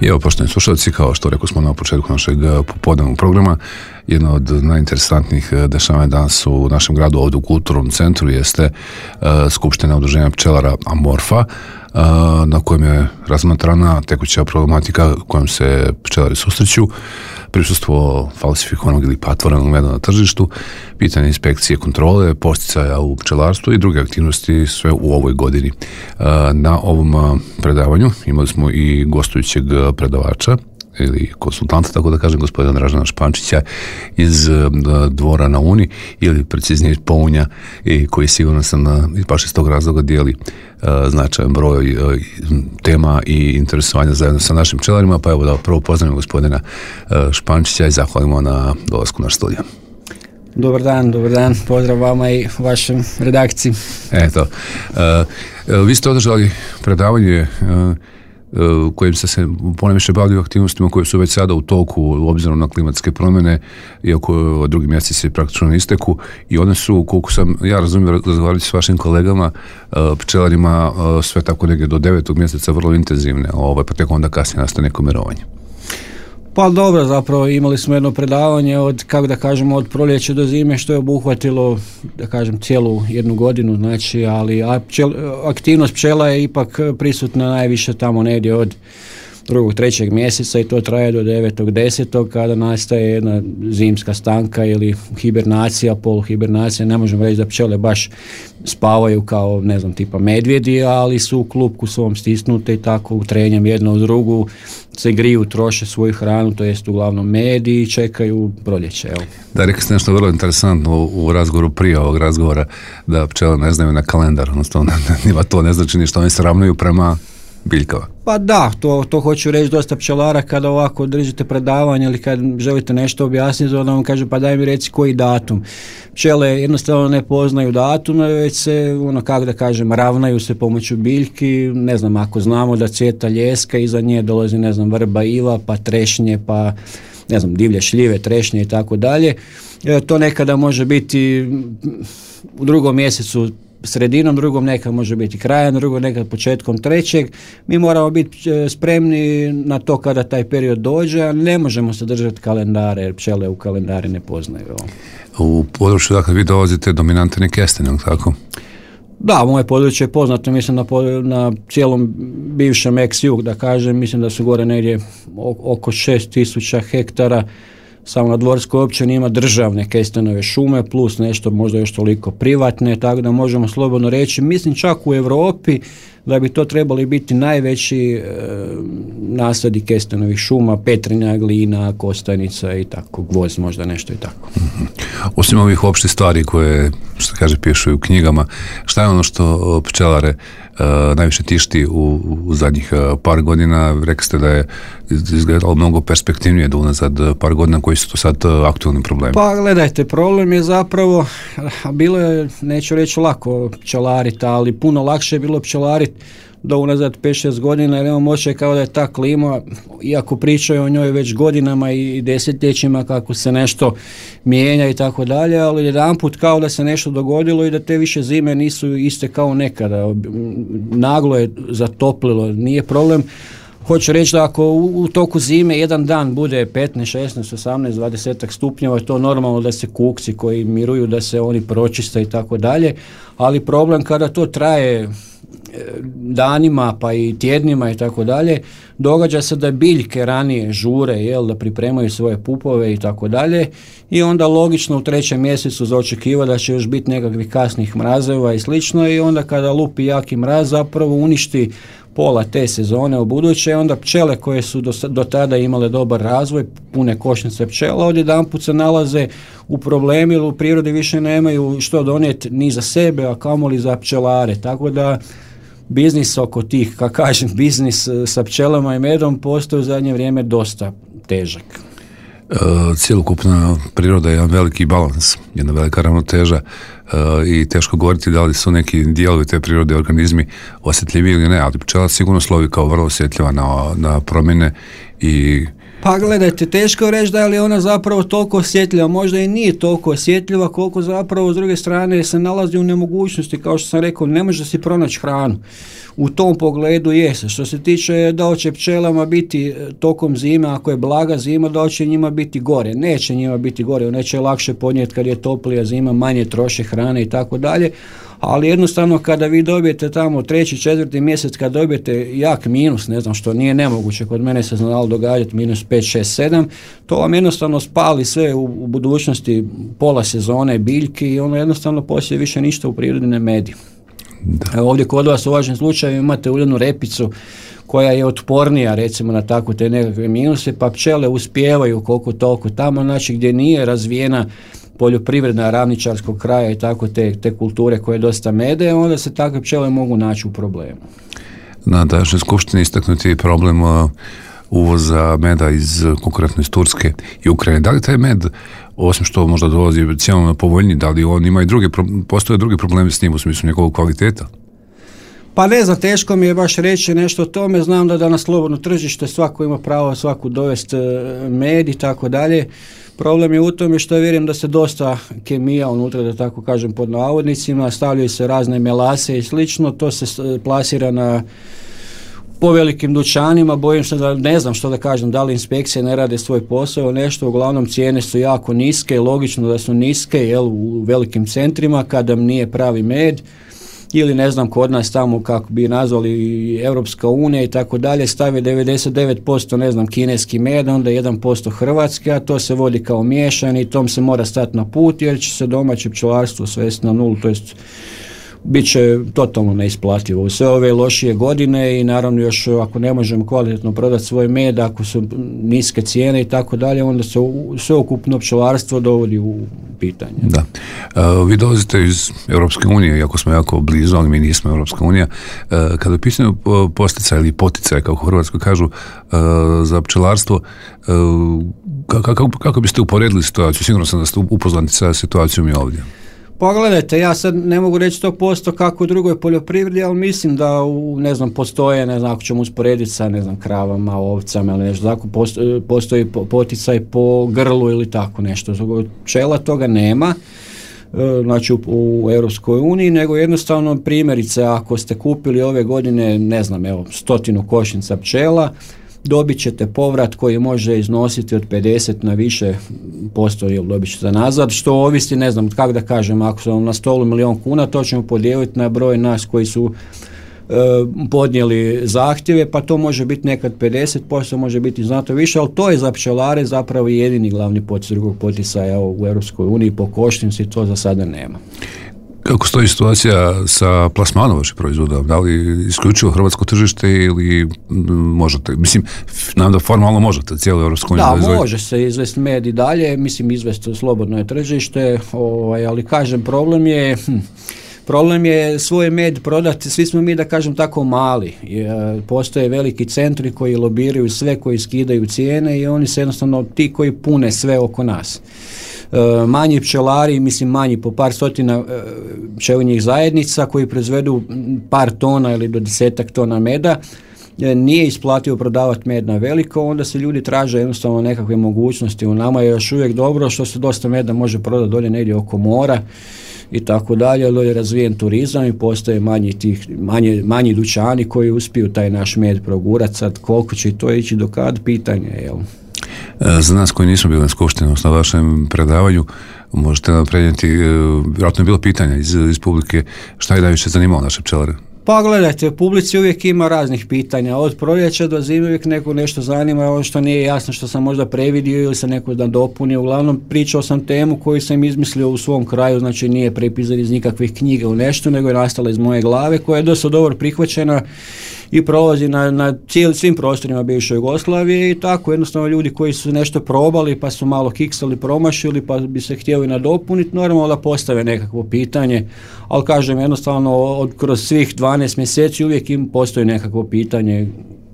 I evo, poštovani slušalci, kao što rekao smo na početku našeg popodnevnog programa, jedno od najinteresantnijih dešavanja danas u našem gradu, ovdje u Kulturnom centru, jeste Skupština udruženja pčelara Amorfa, na kojem je razmatrana tekuća problematika kojom se pčelari susreću, prisustvo falsifikovanog ili patvorenog meda na tržištu, pitanje inspekcije kontrole, posticaja u pčelarstvu i druge aktivnosti sve u ovoj godini. Na ovom predavanju imali smo i gostujućeg predavača ili konsultanta, tako da kažem, gospodina Dražena Špančića iz Dvora na Uni, ili preciznije Pounja, koji sigurno sam baš iz tog razloga dijeli značajan broj tema i interesovanja zajedno sa našim pčelarima. Pa evo da prvo pozdravimo gospodina Špančića i zahvalimo na dolasku na studiju. Dobar dan, pozdrav vama i vašem redakciji. Eto, vi ste održali predavanje kojim ste se ponajviše bavili aktivnostima koje su već sada u toku obzirom na klimatske promjene, iako drugi mjeseci se praktično ne isteku, i one su, koliko sam ja razumijem, razgovarali s vašim kolegama pčelarima, sve tako negdje do 9. mjeseca vrlo intenzivne, pa tek onda kasnije nastaje neko mirovanje. Pa dobro, zapravo imali smo jedno predavanje od, kako da kažemo, od proljeća do zime, što je obuhvatilo, da kažem, cijelu jednu godinu, znači, ali aktivnost pčela je ipak prisutna najviše tamo negdje od 2. 3. mjeseca i to traje do 9. 10. kada nastaje jedna zimska stanka ili hibernacija, poluhibernacija. Ne možemo reći da pčele baš spavaju kao, ne znam, tipa medvjedi, ali su u klupku svom stisnute i tako trenjem jedno uz drugu se griju, troše svoju hranu, to jest uglavnom med i čekaju proljeće. Evo. Da, rekli ste nešto vrlo interesantno u razgovoru prije ovog razgovora, da pčele ne znaju na kalendar, odnosno njima to ne znači ništa, oni se ravnaju prema biljkama. Pa da, to hoću reći dosta pčelara kada ovako držite predavanje ili kad želite nešto objasniti, onda vam kaže pa daj mi reci koji datum. Pčele jednostavno ne poznaju datume, već se, kako da kažem, ravnaju se pomoću biljki. Ne znam, ako znamo da cvjeta ljeska, iza nje dolazi, ne znam, vrba, iva, pa trešnje, pa ne znam, divlje šljive, trešnje i tako dalje. To nekada može biti u 2. mjesecu sredinom, drugom nekad može biti krajem, drugom nekad početkom 3. Mi moramo biti spremni na to kada taj period dođe, a ne možemo se držati kalendare, jer pčele u kalendare ne poznaju. U području, dakle, vi dolazite dominantne kestene, tako? Da, moje područje je poznato, mislim na cijelom bivšem ex-jug, da kažem, mislim da su gore negdje oko 6.000 hektara. Samo na Dvorskoj općini ima državne kestenove šume plus nešto možda još toliko privatne, tako da možemo slobodno reći, mislim čak u Europi da bi to trebali biti najveći nasadi kestenovih šuma, Petrinja, Glina, Kostajnica i tako, Gvozd možda nešto i tako. Osim ovih opštih stvari koje, što kaže, pišu u knjigama, šta je ono što pčelare najviše tišti u zadnjih par godina? Rekli ste da je izgledalo mnogo perspektivnije do unazad par godina, koji su to sad aktualni problemi? Pa gledajte, problem je zapravo, bilo je, neću reći lako pčelariti, ali puno lakše je bilo pčelariti do unazad 5-6 godina, jer imamo osjećaj kao da je ta klima, iako pričaju o njoj već godinama i desetljećima kako se nešto mijenja i tako dalje, ali jedanput kao da se nešto dogodilo i da te više zime nisu iste kao nekada. Naglo je zatoplilo, nije problem. Hoću reći da ako u toku zime jedan dan bude 15, 16, 18, 20 stupnjeva, je to normalno da se kukci koji miruju, da se oni pročiste i tako dalje, ali problem kada to traje danima pa i tjednima i tako dalje, događa se da biljke ranije žure, da pripremaju svoje pupove i tako dalje, i onda logično u 3. mjesecu za očekiva da će još biti nekakvih kasnih mrazeva i slično, i onda kada lupi jaki mraz zapravo uništi pola te sezone u buduće, onda pčele koje su do tada imale dobar razvoj, pune košnice pčela, odjedanput se nalaze u problemi, jer u prirodi više nemaju što donijeti ni za sebe, a kamoli za pčelare, tako da biznis oko tih, kako kažem, biznis sa pčelama i medom postoji u zadnje vrijeme dosta težak. Cijelokupna priroda je jedan veliki balans, jedna velika ravnoteža, i teško govoriti da li su neki dijelovi te prirode, organizmi osjetljivi ili ne, ali pčela sigurno slovi kao vrlo osjetljiva na promjene i Pa gledajte, teško je reći da je li ona zapravo toliko osjetljiva, možda i nije toliko osjetljiva koliko zapravo s druge strane se nalazi u nemogućnosti, kao što sam rekao, ne može si pronaći hranu. u tom pogledu jeste. Što se tiče da će pčelama biti tokom zime, ako je blaga zima, da će njima biti gore. Neće njima biti gore, neće lakše podnijeti kad je toplija zima, manje troše hrane i tako dalje, ali jednostavno kada vi dobijete tamo 3., 4. mjesec, kad dobijete jak minus, ne znam, što nije nemoguće, kod mene se znalo događati minus 5, 6, 7, to vam jednostavno spali sve u budućnosti pola sezone biljke i ono jednostavno poslije više ništa u prirodi ne medi. Ovdje kod vas u vašem slučaju imate uljanu repicu koja je otpornija recimo na tako te nekakve minuse, pa pčele uspijevaju koliko toliko tamo, znači gdje nije razvijena poljoprivredna ravničarskog kraja i tako te kulture koje dosta mede, onda se takve pčele mogu naći u problemu. Na današnjoj skupštini istaknuti je problem uvoza meda konkretno iz Turske i Ukrajine. Da li taj med, osim što možda dolazi cijelom povoljniji, da li on ima i postoje drugi problemi s njim u smislu njegovog kvaliteta? Pa ne znam, teško mi je baš reći nešto o tome, znam da na slobodno tržište svako ima pravo svaku dovesti med i tako dalje. Problem je u tome što vjerujem da se dosta kemija unutra, da tako kažem pod navodnicima, stavljaju se razne melase i slično, to se plasira po velikim dućanima, bojim se da ne znam što da kažem, da li inspekcije ne rade svoj posao, nešto, uglavnom cijene su jako niske, logično da su niske u velikim centrima kada nije pravi med, ili ne znam kod nas tamo kako bi nazvali Europska unija i tako dalje, stave 99% ne znam kineski med, onda 1% hrvatski, a to se vodi kao miješani i tom se mora stati na put jer će se domaće pčelarstvo svesti na nulu, to jest bit će totalno neisplativo u sve ove lošije godine i naravno još ako ne možemo kvalitetno prodati svoj med, ako su niske cijene i tako dalje, onda se sveukupno pčelarstvo dovodi u pitanje. Da. Vi dolazite iz Europske unije, iako smo jako blizu, ali mi nismo Europska unija. Kada je pitanju posticaj ili poticaj, kako u Hrvatskoj kažu, za pčelarstvo, kako biste uporedili situaciju? Sigurno sam da ste upoznati sa situacijom i ovdje. Pogledajte, ja sad ne mogu reći 100% kako u drugoj poljoprivredi, ali mislim da postoje, ako ćemo usporediti sa kravama, ovcama ili nešto tako, postoji poticaj po grlu ili tako nešto. Pčela toga nema, znači u Europskoj uniji, nego jednostavno primjerice ako ste kupili ove godine, 100 košnica pčela, dobit ćete povrat koji može iznositi od 50 na više posto ili dobit ćete nazad, što ovisi, kako da kažem, ako su na stolu 1.000.000 kuna, to ćemo podijeliti na broj nas koji su podnijeli zahtjeve, pa to može biti nekad 50%, može biti znatno više, ali to je za pčelare zapravo jedini glavni poticaj, drugog poticaja u Europskoj uniji po košnici, to za sada nema. Kako stoji situacija sa plasmanom vaših proizvoda? Da li isključivo hrvatsko tržište ili možete? Mislim, nam da formalno možete cijelu Europsku uniju. Da, može se izvesti med i dalje, izvesti slobodno je tržište, ali kažem, problem je svoj med prodati, svi smo mi da kažem tako mali, postoje veliki centri koji lobiraju sve, koji skidaju cijene i oni se jednostavno ti koji pune sve oko nas. Manji pčelari, manji po par stotina pčelinjih zajednica koji proizvedu par tona ili do 10 tona meda, nije isplativo prodavati med na veliko, onda se ljudi traže jednostavno nekakve mogućnosti. U nama je još uvijek dobro što se dosta meda može prodati dolje negdje oko mora i tako dalje, dolje je razvijen turizam i postoje manji dućani koji uspiju taj naš med progurati. Sad koliko će to ići do kad, pitanje je, jel? Za nas koji nismo bili na skupštini, na vašem predavanju, možete nam prenijeti, vjerojatno je bilo pitanja iz publike, šta je najviše zanimalo naše pčelare? Pa gledajte, u publici uvijek ima raznih pitanja, od proljeća do zime uvijek neko nešto zanima, ono što nije jasno, što sam možda previdio ili se neko nadopunio. Uglavnom pričao sam temu koju sam izmislio u svom kraju, znači nije prepisan iz nikakvih knjiga u nešto, nego je nastala iz moje glave, koja je dosta dobro prihvaćena i prolazi na svim prostorima bivše Jugoslavije i tako jednostavno ljudi koji su nešto probali pa su malo kiksali, promašili pa bi se htjeli nadopuniti, normalno da postave nekakvo pitanje, ali kažem jednostavno kroz svih 12 mjeseci uvijek im postoji nekakvo pitanje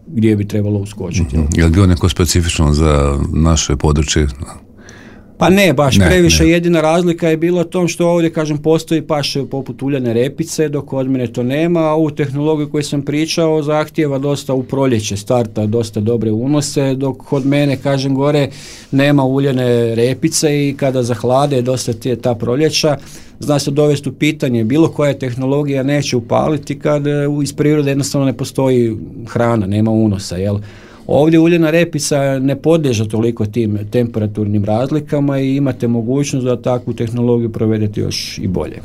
gdje bi trebalo uskočiti. Je li bilo neko specifično za naše područje? Pa ne, baš previše. Jedina razlika je bila u tom što ovdje, kažem, postoji paše poput uljane repice, dok kod mene to nema, a ovu tehnologiju koju sam pričao zahtijeva dosta u proljeće starta, dosta dobre unose, dok kod mene, kažem, gore nema uljane repice i kada zahlade dosta ta proljeća, zna se dovesti u pitanje, bilo koja tehnologija neće upaliti kad iz prirode jednostavno ne postoji hrana, nema unosa, jel? Ovdje uljana repica ne podliježe toliko tim temperaturnim razlikama i imate mogućnost da takvu tehnologiju provedete još i bolje.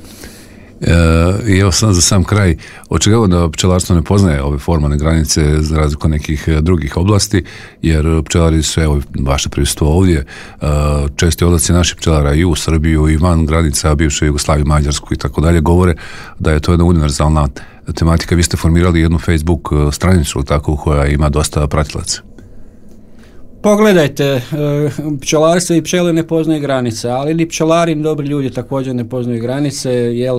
I evo sad za sam kraj, očigledno da pčelarstvo ne poznaje ove formalne granice za razliku od nekih drugih oblasti, jer pčelari su, evo, vaše prisustvo ovdje, česti odlaci naših pčelara i u Srbiju i van granica bivše Jugoslavije, Mađarsku i tako dalje, govore da je to jedna univerzalna tematika. Vi ste formirali jednu Facebook stranicu tako koja ima dosta pratilaca. Pogledajte, pčelarstvo i pčele ne poznaju granice, ali ni pčelari ni dobri ljudi također ne poznaju granice, jer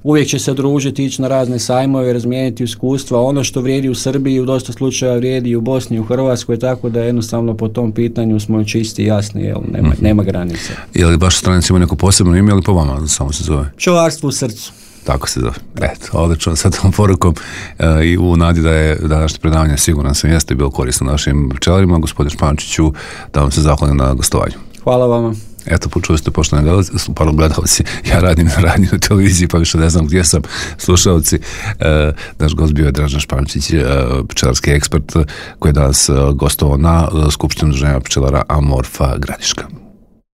uvijek će se družiti, ići na razne sajmove, razmijeniti iskustva. Ono što vrijedi u Srbiji u dosta slučaja vrijedi i u Bosni i u Hrvatskoj, tako da jednostavno po tom pitanju smo čisti i jasni, jer nema granice. Je li vaša stranica ima neko posebno ime ili po vama samo se zove? Pčelarstvo u srcu. Tako se zove. Eto, odlično, sa tom porukom i u nadi da je današnje predavanje siguran sam jeste bilo korisno našim pčelarima. Gospodin Špančiću, da vam se zahvalim na gostovanju. Hvala vama. Eto, počuli ste poštovani gledalci, ja radim na radiju na televiziji, pa više ne znam gdje sam, slušalci. Naš gost bio je Dražen Špančić, pčelarski ekspert koji je danas gostovao na Skupštini udruženja pčelara Amorfa Gradiška.